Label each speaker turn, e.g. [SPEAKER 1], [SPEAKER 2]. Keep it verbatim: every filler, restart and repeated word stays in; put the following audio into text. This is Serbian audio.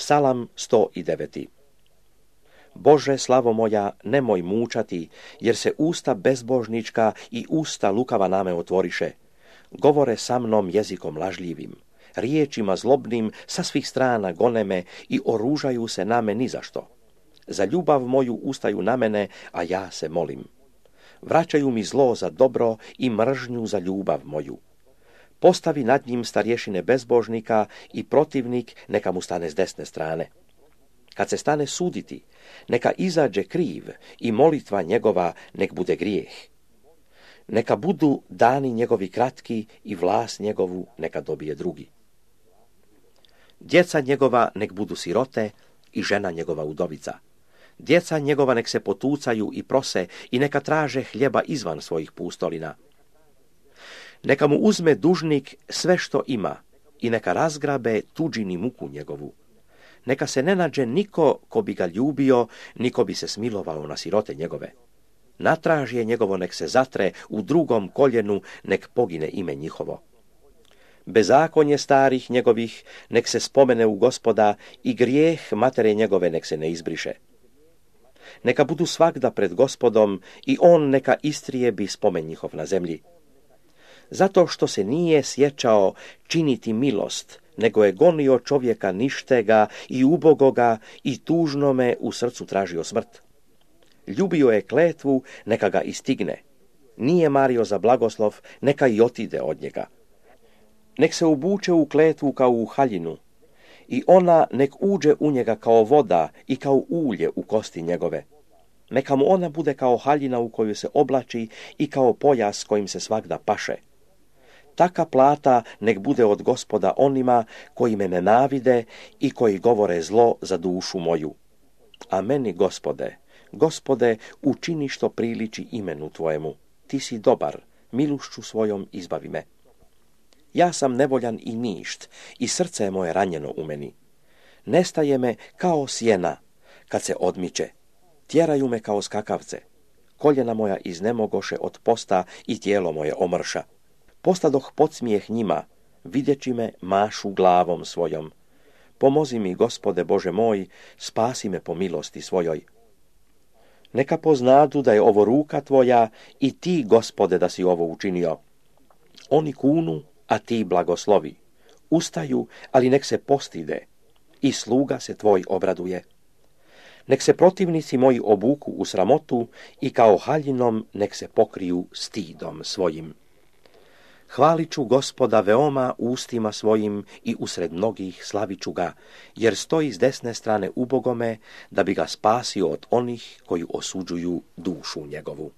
[SPEAKER 1] Psalam sto devet. Bože, slavo moja, nemoj múčati, jer se ústa bezbožnička i ústa lukava náme otvoriše. Govore sa mnom jezikom lažljivim, riječima zlobnim sa svih strana goneme i oružaju se na me ni zašto. Za ljubav moju ustaju na mene, a ja se molim. Vraćaju mi zlo za dobro i mržnju za ljubav moju. Postavi nad njim starješine bezbožnika i protivnik neka mu stane s desne strane. Kad se stane suditi, neka izađe kriv i molitva njegova nek bude grijeh. Neka budu dani njegovi kratki i vlast njegovu neka dobije drugi. Djeca njegova nek budu sirote i žena njegova udovica. Djeca njegova nek se potucaju i prose i neka traže hljeba izvan svojih pustolina. Neka mu uzme dužnik sve što ima i neka razgrabe tuđini muku njegovu. Neka se ne nađe niko ko bi ga ljubio, niko bi se smilovao na sirote njegove. Natražje njegovo nek se zatre, u drugom koljenu nek pogine ime njihovo. Bezakonje starih njegovih nek se spomene u Gospoda i grijeh matere njegove nek se ne izbriše. Neka budu svagda pred Gospodom i on neka istrijebi spomen njihov na zemlji. Zato što se nije sjećao činiti milost, nego je gonio čovjeka ništega i ubogoga i tužnome u srcu tražio smrt. Ljubio je kletvu, neka ga istigne. Nije mario za blagoslov, neka i otide od njega. Nek se ubuče u kletvu kao u haljinu i ona nek uđe u njega kao voda i kao ulje u kosti njegove. Neka mu ona bude kao haljina u koju se oblači i kao pojas kojim se svagda paše. Taka plata nek bude od Gospoda onima koji me nenavide i koji govore zlo za dušu moju. A meni, Gospode, Gospode, učini što priliči imenu Tvojemu. Ti si dobar, milošću svojom izbavi me. Ja sam nevoljan i ništ, i srce je moje ranjeno u meni. Nestaje me kao sjena, kad se odmiče. Tjeraju me kao skakavce. Koljena moja iznemogoše od posta i tijelo moje omrša. Postadoh podsmijeh njima, vidjeći me mašu glavom svojom. Pomozi mi, Gospode Bože moj, spasi me po milosti svojoj. Neka poznadu da je ovo ruka Tvoja i Ti, Gospode, da si ovo učinio. Oni kunu, a Ti blagoslovi. Ustaju, ali nek se postide. I sluga se Tvoj obraduje. Nek se protivnici moji obuku u sramotu i kao haljinom nek se pokriju stidom svojim. Hvalit ću Gospoda veoma ustima svojim i usred mnogih slavit ću ga, jer stoji s desne strane ubogome, da bi ga spasio od onih koji osuđuju dušu njegovu.